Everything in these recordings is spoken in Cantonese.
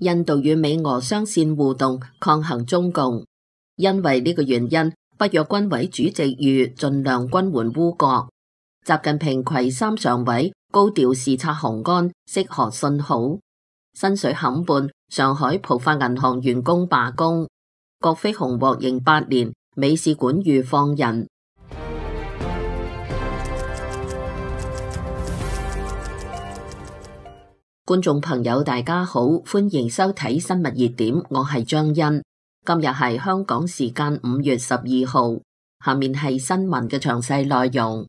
印度與美俄雙線互動抗衡中共。因為呢個原因，北約軍委主席籲盡量軍援烏國。習近平攜三常委高調視察雄安，釋賀信號。新水坎畔，上海浦發銀行員工罷工。郭飛雄獲刑8年，美使館籲放人。觀眾朋友大家好，歡迎收睇新聞熱點，我係張欣。今日係香港時間5月12號，下面係新聞嘅詳細內容。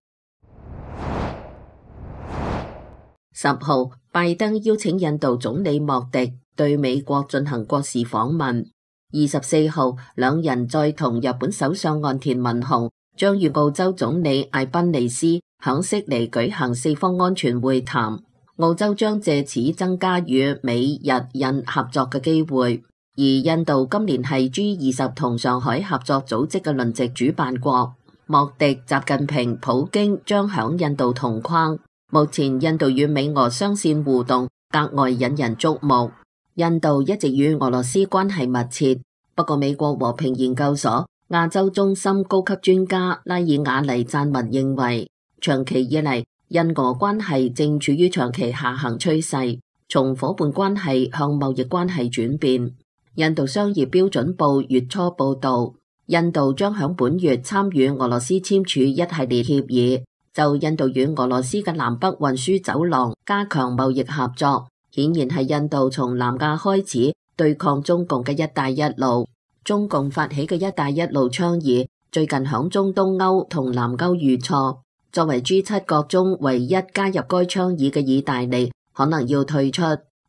10號，拜登邀請印度總理莫迪對美國進行國事訪問。24號，兩人再同日本首相岸田文雄將與澳洲總理艾賓尼斯響悉尼舉行四方安全會談。澳洲將借此增加與美日印合作嘅機會，而印度今年係G20同上海合作組織嘅輪值主辦國。莫迪、習近平、普京將響印度同框。目前印度與美俄雙線互動格外引人矚目。印度一直與俄羅斯關係密切，不過美國和平研究所亞洲中心高級專家拉爾瓦尼贊文認為，長期以嚟印俄關係正處於長期下行趨勢，從夥伴關係向貿易關係轉變。印度商業標準報月初報道，印度將響本月參與俄羅斯簽署一系列協議，就印度與俄羅斯嘅南北運輸走廊加強貿易合作，顯然係印度從南亞開始對抗中共嘅一帶一路。中共發起嘅一帶一路倡議，最近響中東歐同南歐遇挫。作為 G7 國中唯一加入該倡議嘅意大利，可能要退出。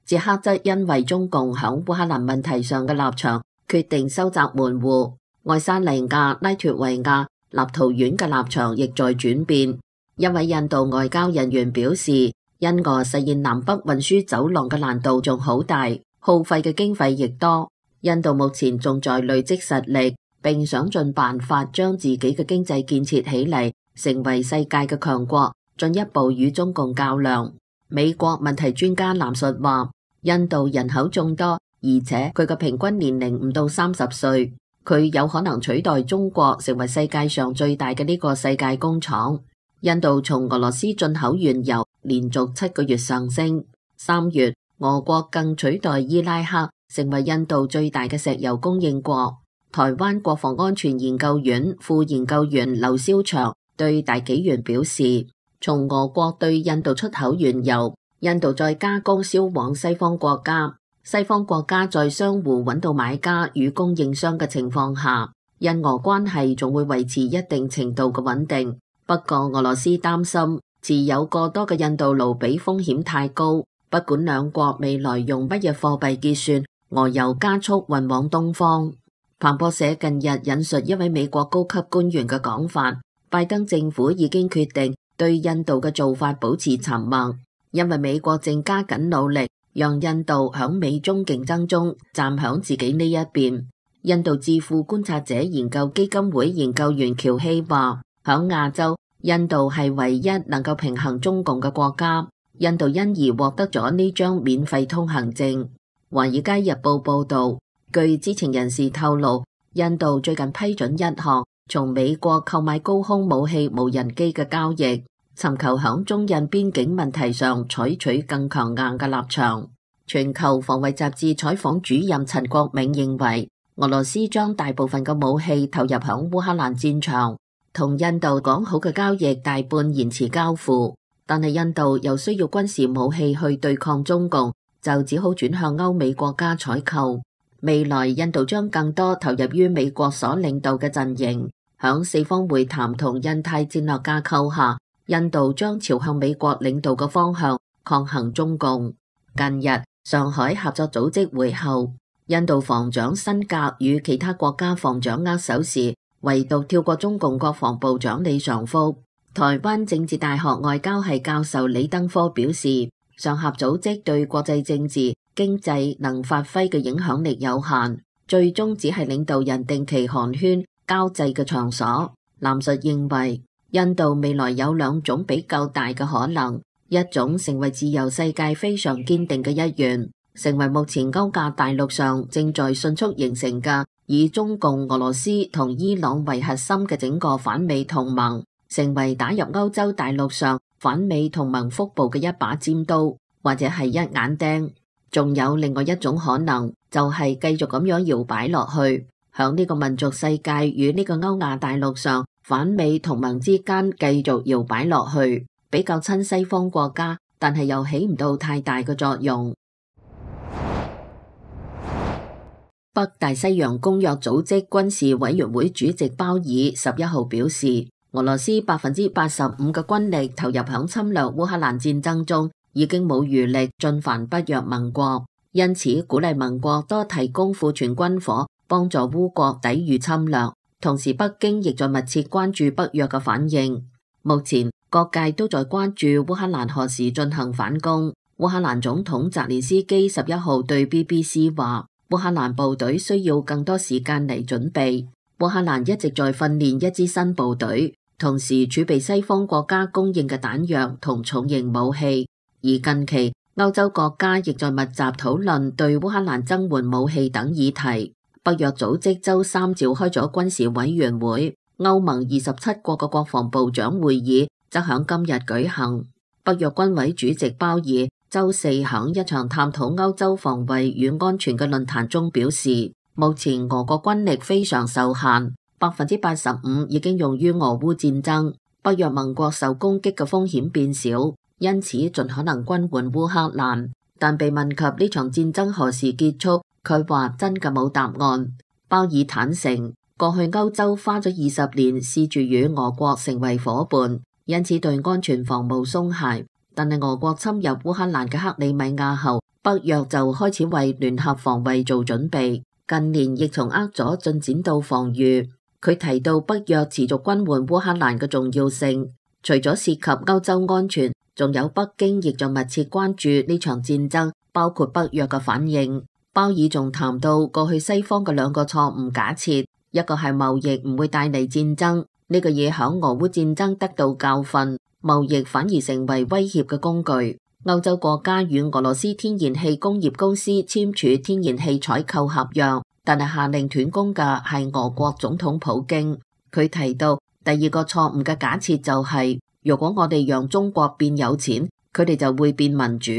捷克則因為中共響烏克蘭問題上嘅立場，決定收窄門戶。愛沙尼亞、拉脫維亞、立陶宛嘅立場亦在轉變。一位印度外交人員表示，印俄實現南北運輸走廊嘅難度仲好大，耗費嘅經費亦多。印度目前仲在累積實力，並想盡辦法將自己嘅經濟建設起嚟，成為世界嘅強國，進一步與中共較量。美國問題專家藍述話，印度人口眾多，而且佢嘅平均年齡唔到30歲，佢有可能取代中國成為世界上最大嘅呢個世界工廠。印度從俄羅斯進口原油連續7個月上升，3月俄國更取代伊拉克成為印度最大嘅石油供應國。台灣國防安全研究院副研究員劉少祥對大紀元表示，從俄國對印度出口原油，印度再加工銷往西方國家，西方國家在相互揾到買家與供應商嘅情況下，印俄關係仲會維持一定程度嘅穩定。不過俄羅斯擔心持有過多嘅印度盧比風險太高，不管兩國未來用乜嘢貨幣結算，俄油加速運往東方。彭博社近日引述一位美國高級官員嘅講法，拜登政府已經決定對印度嘅做法保持沉默，因為美國正加緊努力讓印度響美中競爭中站響自己呢一邊。印度智庫觀察者研究基金會研究員喬希話，響亞洲，印度係唯一能夠平衡中共嘅國家，印度因而獲得咗呢張免費通行證。華爾街日報報道，據知情人士透露，印度最近批准一項從美國購買高空武器無人機嘅交易，尋求響中印邊境問題上採取更強硬嘅立場。全球防衛雜誌採訪主任陳國銘認為，俄羅斯將大部分嘅武器投入響烏克蘭戰場，同印度講好嘅交易大半延遲交付，但係印度又需要軍事武器去對抗中共，就只好轉向歐美國家採購。未來印度將更多投入於美國所領導嘅陣營，響四方會談同印太戰略架構下，印度將朝向美國領導嘅方向抗衡中共。近日上海合作組織會後，印度防長辛格與其他國家防長握手時，唯獨跳過中共國防部長李尚福。台灣政治大學外交系教授李登科表示，上合組織對國際政治經濟能發揮嘅影響力有限，最終只係領導人定期寒暄交際嘅場所。藍述認為，印度未來有兩種比較大嘅可能，一種成為自由世界非常堅定嘅一員，成為目前歐亞大陸上正在迅速形成嘅以中共、俄羅斯同伊朗為核心嘅整個反美同盟，成為打入歐洲大陸上反美同盟腹部嘅一把尖刀，或者係一眼釘。仲有另外一種可能，就係繼續咁樣搖擺落去，響呢個民族世界與呢個歐亞大陸上反美同盟之間繼續搖擺落去，比較親西方國家，但係又起唔到太大嘅作用。北大西洋公約組織軍事委員會主席鮑爾11號表示，俄羅斯85%嘅軍力投入響侵略烏克蘭戰爭中，已經冇餘力進犯北約盟國，因此鼓勵盟國多提供庫存軍火，幫助烏國抵禦侵略。同時，北京亦在密切關注北約嘅反應。目前各界都在關注烏克蘭何時進行反攻。烏克蘭總統澤連斯基11號對 BBC 話，烏克蘭部隊需要更多時間嚟準備。烏克蘭一直在訓練一支新部隊，同時儲備西方國家供應嘅彈藥同重型武器。而近期歐洲國家亦在密集討論對烏克蘭增援武器等議題。北約組織周三召開咗軍事委員會，歐盟27國嘅國防部長會議則響今日舉行。北約軍委主席鮑爾周四響一場探討歐洲防衛與安全嘅論壇中表示，目前俄國軍力非常受限，85%已經用於俄烏戰爭，北約盟國受攻擊嘅風險變少，因此盡可能軍援烏克蘭。但被問及呢場戰爭何時結束，佢話真嘅冇答案。鮑爾坦承，過去歐洲花咗20年試住與俄國成為夥伴，因此對安全防務鬆懈。但係俄國侵入烏克蘭嘅克里米亞後，北約就開始為聯合防衛做準備。近年亦從握咗進展到防禦。佢提到北約持續軍援烏克蘭嘅重要性，除咗涉及歐洲安全，仲有北京亦在密切關注呢場戰爭，包括北約嘅反應。鮑爾仲談到過去西方嘅兩個錯誤假設，一個係貿易唔會帶嚟戰爭，呢個嘢響俄烏戰爭得到教訓，貿易反而成為威脅嘅工具。歐洲國家與俄羅斯天然氣工業公司簽署天然氣採購合約，但係下令斷供嘅係俄國總統普京。佢提到第二個錯誤嘅假設就係，如果我哋讓中國變有錢，佢哋就會變民主。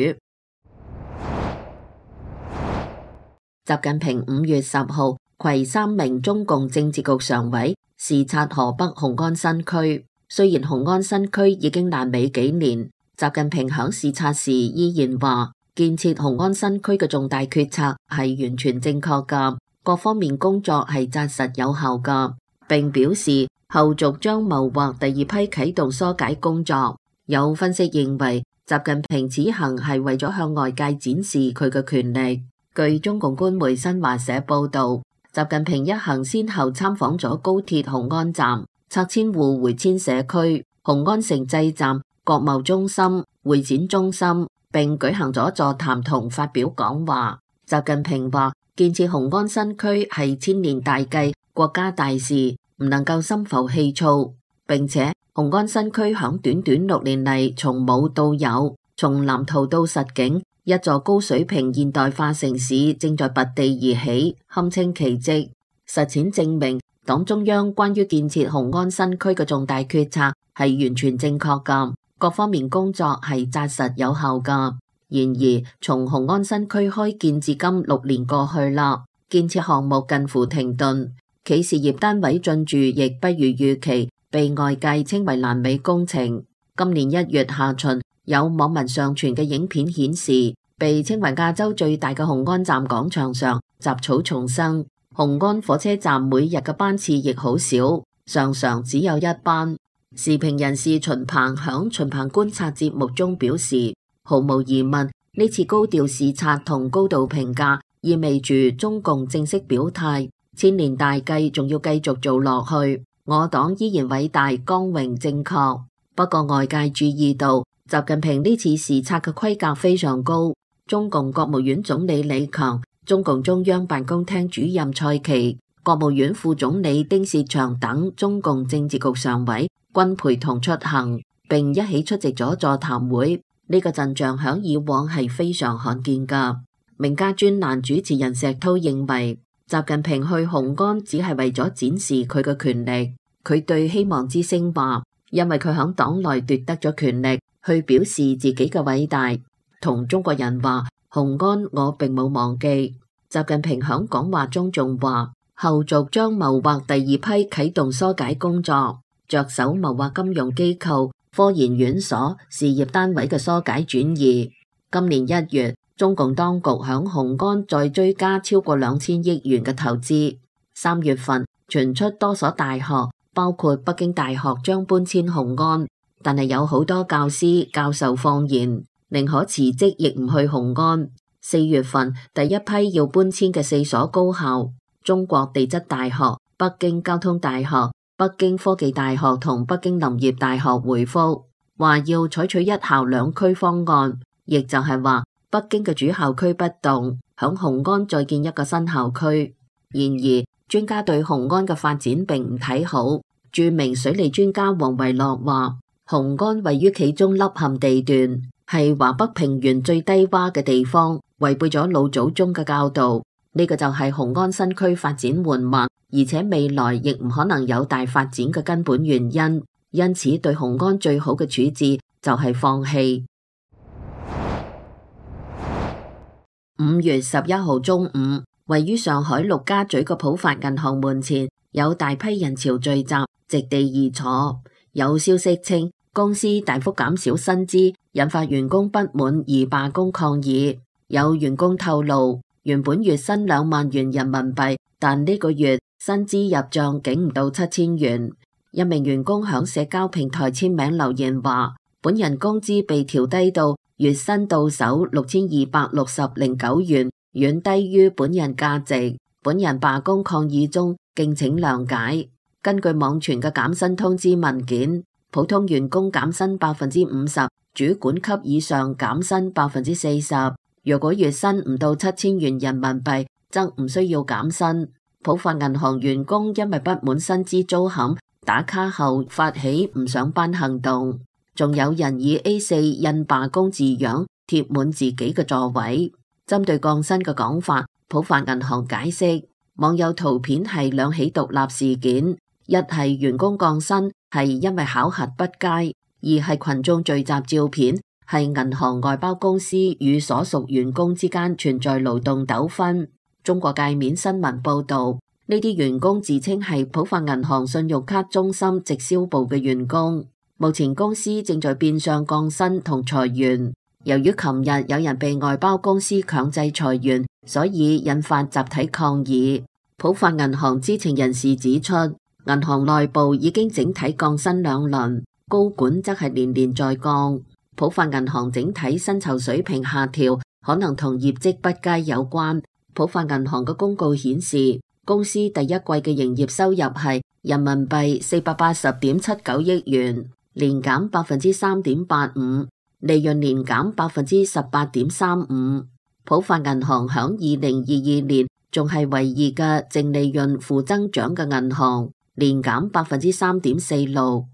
習近平5月10號攜3名中共政治局常委視察河北雄安新區。雖然雄安新區已經爛尾幾年，習近平響視察時依然話，建設雄安新區嘅重大決策係完全正確㗎，各方面工作係紮實有效㗎，並表示後續將謀劃第二批啟動疏解工作。有分析認為，習近平此行係為咗向外界展示佢嘅權力。據中共官媒新華社報道，習近平一行先後參訪咗高鐵雄安站、拆遷戶回遷社區、雄安城際站、國貿中心、會展中心，並舉行咗座談同發表講話。習近平話，建設雄安新區係千年大計、國家大事，唔能夠心浮氣躁。並且雄安新區響短短6年嚟，從冇到有，從藍圖到實景，一座高水平現代化城市正在拔地而起，堪稱奇蹟。實踐證明，黨中央關於建設雄安新區嘅重大決策係完全正確㗎，各方面工作係紮實有效㗎。然而，從雄安新區開建至今6年過去啦，建設項目近乎停頓，企事業單位進駐亦不如預期，被外界稱為爛尾工程。今年1月下旬，有網民上傳嘅影片顯示，被稱為亞洲最大嘅雄安站廣場上雜草叢生，雄安火車站每日嘅班次亦好少，常常只有1班。時評人士秦鵬響秦鵬觀察節目中表示，毫無疑問，呢次高調視察同高度評價，意味住中共正式表態，千年大計仲要繼續做落去，我黨依然偉大、光榮、正確。不過外界注意到，習近平呢次視察嘅規格非常高，中共國務院總理李強、中共中央辦公廳主任蔡奇、國務院副總理丁薛祥等中共政治局常委均陪同出行，並一起出席咗座談會。呢個陣象響以往係非常罕見㗎。名家專欄主持人石濤認為，習近平去紅安只係為咗展示佢嘅權力。佢對希望之聲話，因為佢響黨內奪得咗權力，去表示自己嘅偉大。同中國人話，紅安我並冇忘記。習近平響講話中仲話，後續將謀劃第二批啟動疏解工作，着手謀劃金融機構、科研院所、事業單位嘅疏解轉移。今年1月，中共當局響紅安再追加超過2000億元嘅投資。3月份傳出多所大學，包括北京大學將搬遷紅安，但係有好多教師教授放言，寧可辭職亦唔去紅安。4月份第一批要搬遷嘅4所高校，中國地質大學、北京交通大學、北京科技大學同北京林業大學回覆，話要採取1校2區方案，亦就係話北京嘅主校區不動，響紅安再建一個新校區。然而，專家對紅安嘅發展並唔睇好。著名水利專家王維洛話，紅安位於冀中凹陷地段，係華北平原最低洼嘅地方，違背咗老祖宗嘅教導。呢個就係紅安新區發展緩慢，而且未來亦唔可能有大發展嘅根本原因。因此，對紅安最好嘅處置就係放棄。5月11號中午，位於上海陸家嘴嘅浦發銀行門前有大批人潮聚集，席地而坐。有消息稱，公司大幅減少薪資，引發員工不滿而罷工抗議。有員工透露，原本月薪2萬元人民幣，但呢個月薪資入賬竟唔到7000元。一名員工響社交平台簽名留言話，本人工資被調低到月薪到手6260.9元，遠低於本人價值。本人罷工抗議中，敬請諒解。根據網傳嘅減薪通知文件，普通員工減薪50%，主管級以上減薪40%。若果月薪唔到7000元人民幣，則唔需要減薪。浦發銀行員工因為不滿薪資遭砍，打卡後發起唔上班行動，仲有人以 A4 印罷工字樣貼滿自己嘅座位。針對降薪嘅講法，浦發銀行解釋，網友圖片係2起獨立事件，一係員工降薪係因為考核不佳，二係群眾聚集照片係銀行外包公司與所屬員工之間存在勞動糾紛。中國界面新聞報道，呢啲員工自稱係浦發銀行信用卡中心直銷部嘅員工。目前公司正在變相降薪同裁員。由於琴日有人被外包公司強制裁員，所以引發集體抗議。浦發銀行知情人士指出，銀行內部已經整體降薪2輪，高管則係年年在降。浦發銀行整體薪酬水平下調，可能同業績不佳有關。浦發銀行嘅公告顯示，公司第一季嘅營業收入係人民幣480.79億元，年減3.85%，利潤年減18.35%。浦發銀行響2022年仲係唯二嘅淨利潤負增長嘅銀行，年減3.46%。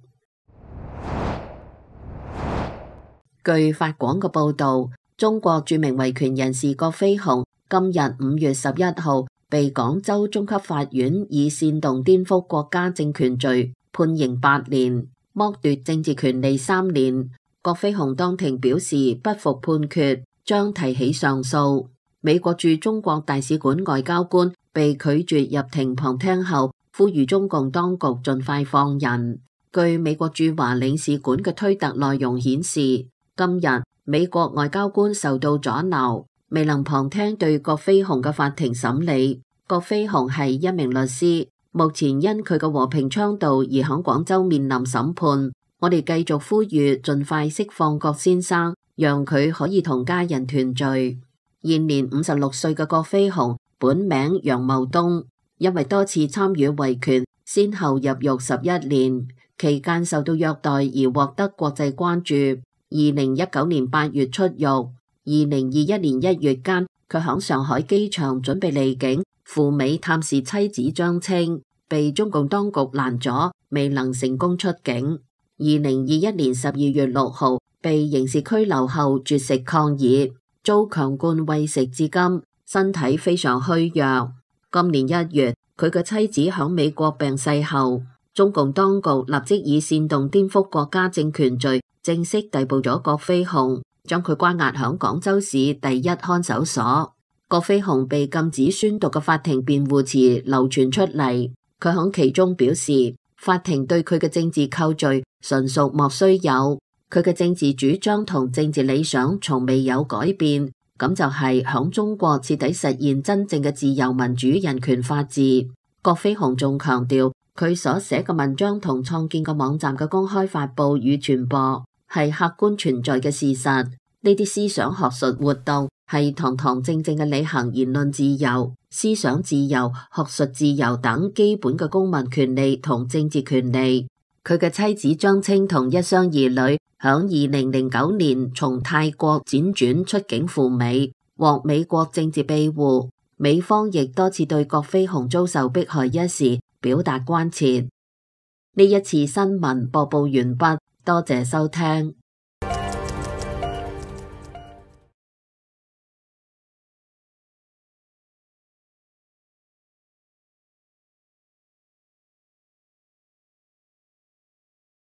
據法廣嘅報道，中國著名維權人士葛飛鴻今日5月11號被廣州中級法院以煽動顛覆國家政權罪判刑8年，剝奪政治權利3年。葛飛鴻當庭表示不服判決，將提起上訴。美國駐中國大使館外交官被拒絕入庭旁聽後，呼籲中共當局盡快放人。據美國駐華領事館嘅推特內容顯示，今日美國外交官受到阻撓，未能旁聽對葛飛鴻嘅法庭審理。葛飛鴻係一名律師，目前因佢嘅和平倡導而響廣州面臨審判。我哋繼續呼籲盡快釋放葛先生，讓佢可以同家人團聚。現年56歲嘅葛飛鴻本名楊茂東，因為多次參與維權，先後入獄11年，期間受到虐待而獲得國際關注。2019年8月出獄，2021年1月間，佢響上海機場準備離境赴美探視妻子張青，被中共當局攔阻，未能成功出境。2021年12月6號被刑事拘留後絕食抗議。遭強灌餵食至今，身體非常虛弱。今年1月，佢嘅妻子響美國病逝後，中共當局立即以煽動顛覆國家政權罪正式逮捕咗郭飛雄，將佢關押響廣州市第一看守所。郭飛雄被禁止宣讀嘅法庭辯護詞流傳出嚟，佢響其中表示，法庭對佢嘅政治扣罪純屬莫須有，佢嘅政治主張同政治理想從未有改變，咁就係響中國徹底實現真正嘅自由民主人權法治。郭飛雄仲強調，佢所寫嘅文章同創建嘅網站嘅公開發佈與傳播係客觀存在嘅事實，呢啲思想學術活動係堂堂正正嘅履行言論自由、思想自由、學術自由等基本嘅公民權利同政治權利。佢嘅妻子張青同一雙兒女響2009年從泰國輾轉出境赴美，獲美國政治庇護。美方亦多次對郭飛雄遭受迫害一事表達關切。呢一次新聞播報完畢，多謝收聽。